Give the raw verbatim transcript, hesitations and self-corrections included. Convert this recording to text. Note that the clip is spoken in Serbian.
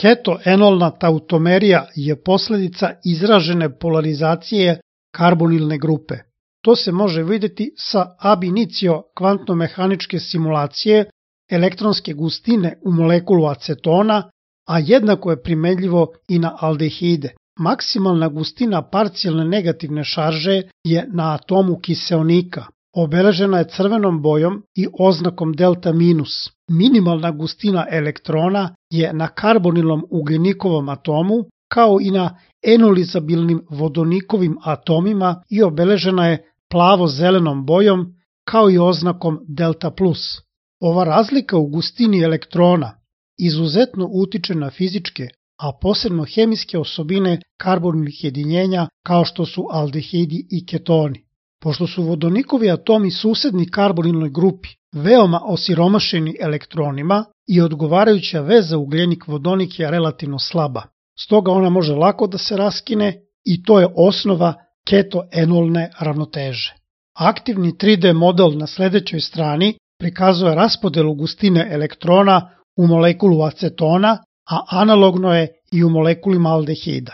Ketoenolna tautomerija je posljedica izražene polarizacije karbonilne grupe. To se može vidjeti sa ab initio kvantno-mehaničke simulacije elektronske gustine u molekulu acetona, a jednako je primenljivo i na aldehide. Maksimalna gustina parcijalne negativne šarže je na atomu kiseonika. Obeležena je crvenom bojom i oznakom delta minus. Minimalna gustina elektrona je na karbonilnom ugljenikovom atomu, kao i na enolizabilnim vodonikovim atomima i obeležena je plavo-zelenom bojom, kao i oznakom delta plus. Ova razlika u gustini elektrona izuzetno utiče na fizičke, a posebno hemijske osobine karbonilnih jedinjenja kao što su aldehidi i ketoni. Pošto su vodonikovi atomi susedni karbonilnoj grupi veoma osiromašeni elektronima i odgovarajuća veza ugljenik-vodonik je relativno slaba, stoga ona može lako da se raskine i to je osnova ketoenolne ravnoteže. Aktivni tri D model na sledećoj strani prikazuje raspodelu gustine elektrona u molekulu acetona, a analogno je i u molekulima aldehida.